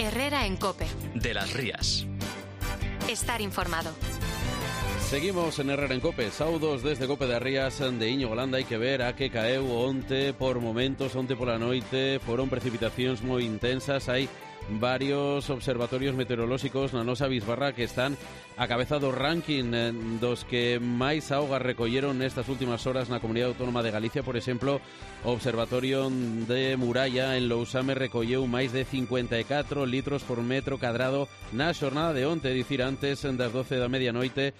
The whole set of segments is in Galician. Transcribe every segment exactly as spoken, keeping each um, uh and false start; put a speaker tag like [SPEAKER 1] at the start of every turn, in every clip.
[SPEAKER 1] Herrera en COPE.
[SPEAKER 2] De las Rías.
[SPEAKER 1] Estar informado.
[SPEAKER 3] Seguimos en Herrera en COPE, saudos desde COPE das Rías de Íñigo Landa. Hai que ver a que caeu onte por momentos, onte pola noite, foron precipitacións moi intensas. Hai varios observatorios meteorolóxicos na nosa bisbarra que están a cabeza do ranking dos que máis auga recolleron nestas últimas horas na Comunidade Autónoma de Galicia. Por exemplo, o Observatorio de Muralla en Lousame recolleu máis de cincuenta e catro litros por metro cadrado na xornada de onte, dicir antes das doce da medianoite.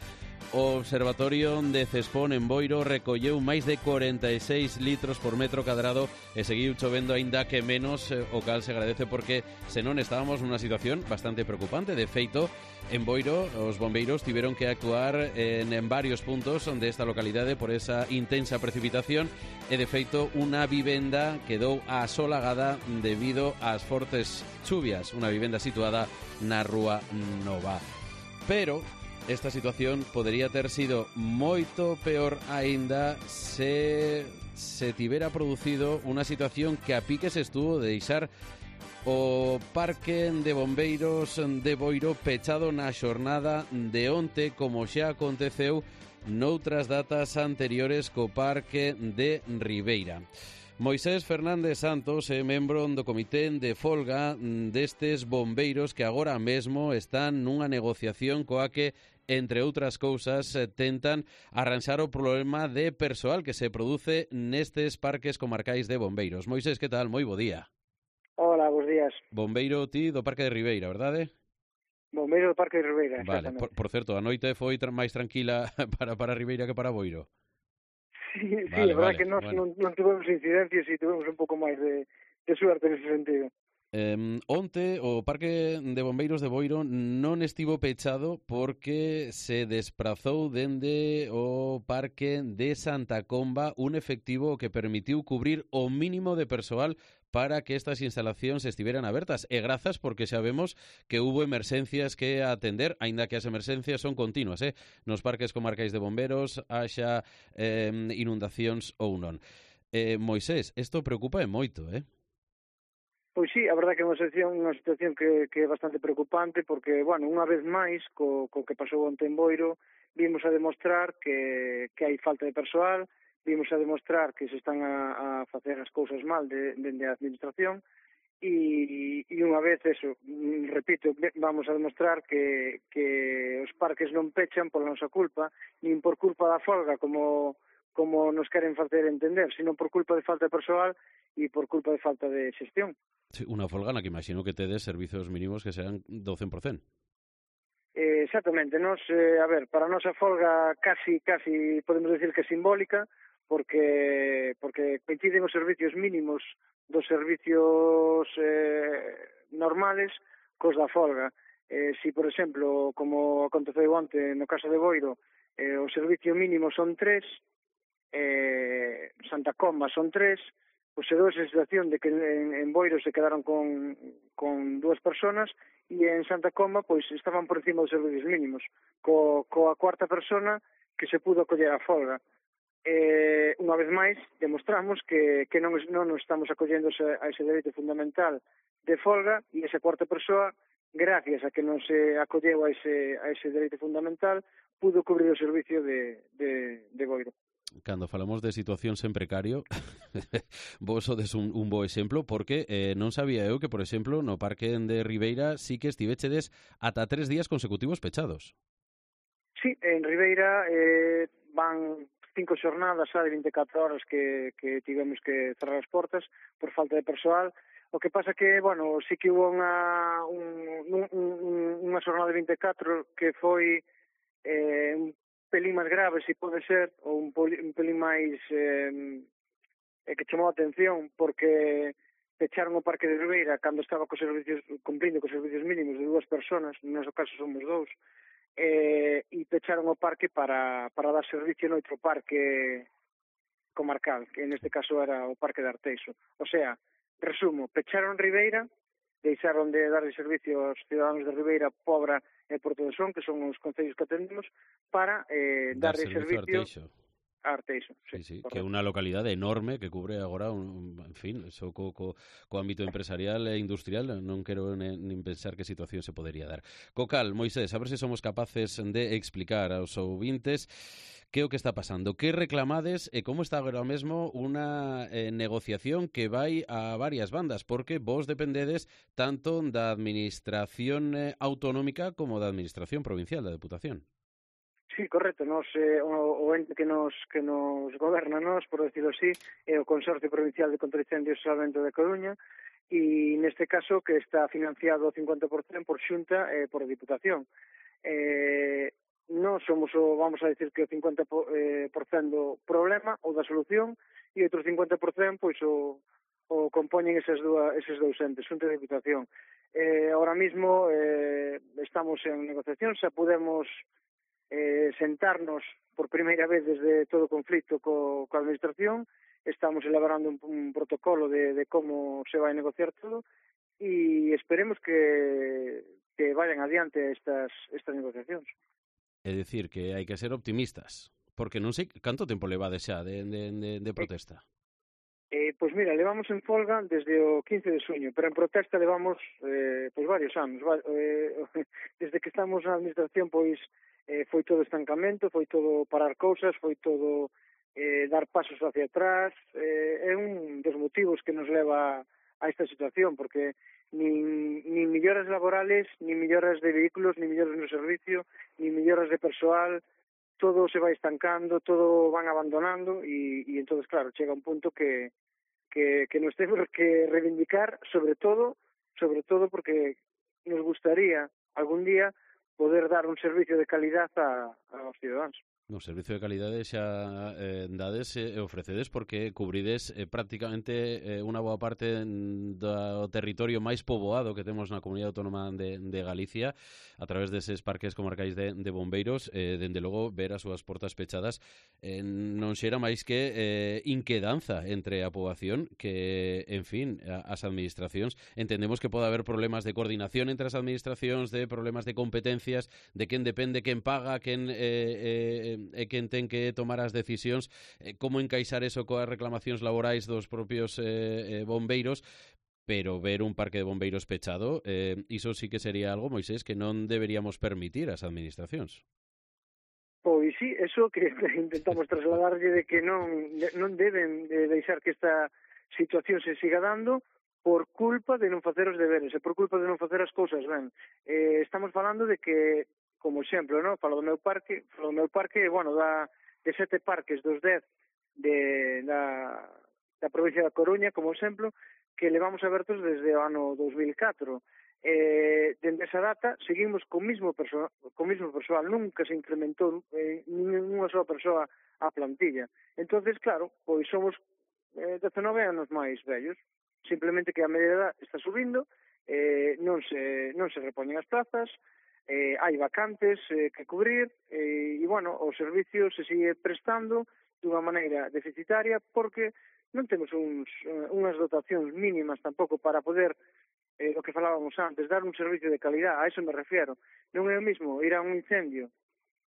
[SPEAKER 3] O Observatorio de Cespón en Boiro recolleu máis de cuarenta e seis litros por metro cadrado e seguiu chovendo aínda que menos, o cal se agradece porque senón estábamos nunha situación bastante preocupante. De feito, en Boiro os bombeiros tiveron que actuar en, en varios puntos desta localidade por esa intensa precipitación e de feito unha vivenda quedou asolagada debido ás fortes chuvias, unha vivenda situada na Rúa Nova. Pero esta situación podería ter sido moito peor aínda se se tivera producido unha situación que a pique se estuvo de deixar o Parque de Bombeiros de Boiro pechado na xornada de onte, como xa aconteceu noutras datas anteriores co Parque de Ribeira. Moisés Fernández Santos é membro do comité de folga destes bombeiros que agora mesmo están nunha negociación coa que, entre outras cousas, tentan arranxar o problema de persoal que se produce nestes parques comarcais de bombeiros. Moisés, que tal? Moi bo día.
[SPEAKER 4] Hola, bons días.
[SPEAKER 3] Bombeiro ti do Parque de Ribeira, verdade?
[SPEAKER 4] Bombeiro do Parque de Ribeira,
[SPEAKER 3] vale. Por, por certo, a noite foi tra- máis tranquila para, para Ribeira que para Boiro.
[SPEAKER 4] Sí, sí,
[SPEAKER 3] vale,
[SPEAKER 4] a verdad
[SPEAKER 3] vale,
[SPEAKER 4] que nós
[SPEAKER 3] bueno.
[SPEAKER 4] non, non tivemos incidencias e tivemos un pouco máis de, de suerte nese sentido.
[SPEAKER 3] Eh, onte o Parque de Bombeiros de Boiro non estivo pechado porque se desprazou dende o Parque de Santa Comba un efectivo que permitiu cubrir o mínimo de persoal para que estas instalacións estiveran abertas. E grazas porque sabemos que hubo emerxencias que atender, aínda que as emerxencias son continuas, eh? Nos parques comarcais de bomberos, haxa eh, inundacións ou non. Eh, Moisés, isto preocupa e moito, eh?
[SPEAKER 4] Pois sí, a verdade que é unha situación, unha situación que, que é bastante preocupante porque, bueno, unha vez máis, co, co que pasou onte en Boiro, vimos a demostrar que, que hai falta de persoal, vimos a demostrar que se están a, a facer as cousas mal de, de, de administración e, e unha vez, eso, repito, vamos a demostrar que, que os parques non pechan pola nosa culpa, nin por culpa da folga como, como nos queren facer entender, sino por culpa de falta de persoal e por culpa de falta de xestión.
[SPEAKER 3] Sí, unha folga na que imagino que tedes servizos mínimos que serán do cen por cento.
[SPEAKER 4] Eh, exactamente, nos, eh, a ver, para a nosa folga casi, casi podemos decir que é simbólica, porque porque coinciden os servicios mínimos dos servicios eh, normales cos da folga. Eh, si, por exemplo, como aconteceu onte no caso de Boiro, eh, o servicio mínimo son tres, eh, Santa Comba son tres, pois se dou esa situación de que en, en Boiro se quedaron con, con dúas personas e en Santa Comba pois estaban por encima dos servicios mínimos, co, coa cuarta persona que se pudo acoller a folga. Eh, unha vez máis, demostramos que, que non, non nos estamos acollendo a ese dereito fundamental de folga e esa cuarta persoa, gracias a que non se acolleu a ese, a ese dereito fundamental, pudo cubrir o servicio de, de, de Boiro.
[SPEAKER 3] Cando falamos de situacións en precario, vos sodes un, un bo exemplo, porque eh, non sabía eu que, por exemplo, no Parque de Ribeira sí que estivechedes ata tres días consecutivos pechados.
[SPEAKER 4] Sí, en Ribeira eh, van cinco xornadas xa de vinte e catro horas que, que tivemos que cerrar as portas por falta de persoal. O que pasa que, bueno, sí que hubo unha, un, un, un, unha xornada de vinte e catro que foi eh, un pelín máis grave, se pode ser, ou un, poli, un pelín máis eh, que chamou a atención, porque pecharon o Parque de Ribeira cando estaba cos servicios, cumprindo cos servicios mínimos de dúas personas, no noso caso somos dous, eh, e pecharon o parque para, para dar servicio no outro parque comarcal, que neste caso era o Parque de Arteixo. O sea, resumo, pecharon Ribeira, deixaron de darle servicio aos ciudadanos de Ribeira, Pobra e Porto de Son, que son os concellos que atendemos, para eh,
[SPEAKER 3] Dar
[SPEAKER 4] darle
[SPEAKER 3] servicio
[SPEAKER 4] servicio... a Arteixo.
[SPEAKER 3] Sí, sí,
[SPEAKER 4] correcto.
[SPEAKER 3] que é unha localidade enorme que cubre agora, un, en fin, eso co, co, co ámbito empresarial e industrial, non quero nen, nin pensar que situación se podería dar. Cocal, Moisés, a ver se somos capaces de explicar aos ouvintes que é o que está pasando, que reclamades e como está agora mesmo unha eh, negociación que vai a varias bandas, porque vos dependedes tanto da administración eh, autonómica como da administración provincial, da Deputación.
[SPEAKER 4] Sí, correcto. Nos, eh, o, o ente que nos que nos goberna, nos, por decirlo así, é o Consorcio Provincial de Contra Incendios e Salvamento de Coruña, e neste caso que está financiado cincuenta por cento por Xunta e eh, por Diputación. Eh, non somos o, vamos a decir que o cincuenta por cento do problema ou da solución, e outro cincuenta por cento pois o, o compoñen esas dúas, eses dous entes, Xunta e Diputación. Eh, ahora mismo eh, estamos en negociación, xa podemos eh, sentarnos por primeira vez desde todo o conflicto co, coa administración, estamos elaborando un, un protocolo de, de como se vai negociar todo e esperemos que, que vayan adiante estas, estas negociacións.
[SPEAKER 3] É dicir, que hai que ser optimistas, porque non sei canto tempo levades xa de, de, de, de protesta.
[SPEAKER 4] Eh, pois mira, levamos en folga desde o quince de xuño, pero en protesta levamos eh, pois varios anos. Va, eh, desde que estamos na administración, pois eh, foi todo estancamento, foi todo parar cousas, foi todo eh, dar pasos hacia atrás. Eh, é un dos motivos que nos leva a esta situación, porque nin, nin melloras laborales, nin melloras de vehículos, nin melloras no servicio, nin melloras de persoal, todo se vai estancando, todo van abandonando e, e entonces, claro, chega un punto que, que, que nos temos que reivindicar, sobre todo, sobre todo porque nos gustaría algún día poder dar un servicio de calidad a, aos ciudadanos.
[SPEAKER 3] No servicio de calidade xa eh, dades e eh, ofrecedes porque cubrides eh, prácticamente eh, unha boa parte do territorio máis poboado que temos na Comunidade Autónoma de, de Galicia a través deses parques comarcais de, de bombeiros. Eh, dende logo, ver as súas portas pechadas eh, non xera máis que eh, inquedanza entre a poboación que, en fin, a, as administracións entendemos que pode haber problemas de coordinación entre as administracións, de problemas de competencias, de quen depende, quen paga, quen eh, eh, é quen ten que tomar as decisións, eh, como encaixar eso coas reclamacións laborais dos propios eh, eh, bombeiros, pero ver un parque de bombeiros pechado, eh, iso sí que sería algo, Moisés, que non deberíamos permitir ás administracións.
[SPEAKER 4] Pois sí, eso que intentamos trasladarlle de que non, non deben de deixar que esta situación se siga dando por culpa de non facer os deberes e por culpa de non facer as cousas ben. Eh, estamos falando de que, como exemplo, no? Falo do meu parque, falo do meu parque, bueno, da, de sete parques dos dez de, da, da provincia da Coruña, como exemplo, que levamos abertos desde o ano dos mil catro. Eh, dende esa data seguimos co mismo persoal, co mismo persoal, nunca se incrementou eh, ninguna sola persoa a plantilla. Entonces, claro, pois somos eh, dezenove anos máis vellos, simplemente que a medida está subindo, eh, non se non se repoñen as plazas, eh, hai vacantes eh, que cubrir eh, e, bueno, o servicio se sigue prestando dunha maneira deficitaria porque non temos uns, uh, unhas dotacións mínimas tampouco para poder, eh, o que falábamos antes, dar un servicio de calidad, a eso me refiero. Non é o mismo ir a un incendio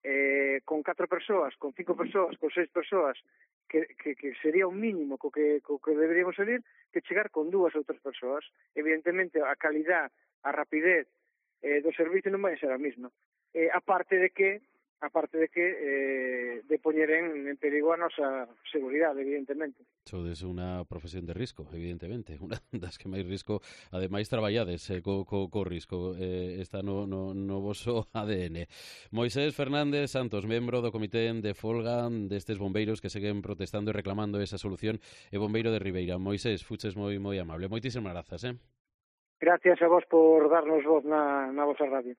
[SPEAKER 4] eh, con catro persoas, con cinco persoas, con seis persoas, que, que, que sería un mínimo co que, co que deberíamos salir, que chegar con dúas ou tres persoas. Evidentemente, a calidad, a rapidez eh, do servicio non vai ser a mesma. Eh, aparte de que aparte de que eh, de poñer en, en perigo a nosa seguridade, evidentemente.
[SPEAKER 3] Sodes unha profesión de risco, evidentemente, unha das que máis risco, ademais traballades eh, co, co, co risco, eh, está no, no, no voso A D N. Moisés Fernández Santos, membro do comité de folga destes bombeiros que seguen protestando e reclamando esa solución, e bombeiro de Ribeira. Moisés, fuches moi moi amable. Moitísimas grazas, eh?
[SPEAKER 4] Gracias a vos por darnos voz na, na vosa radio.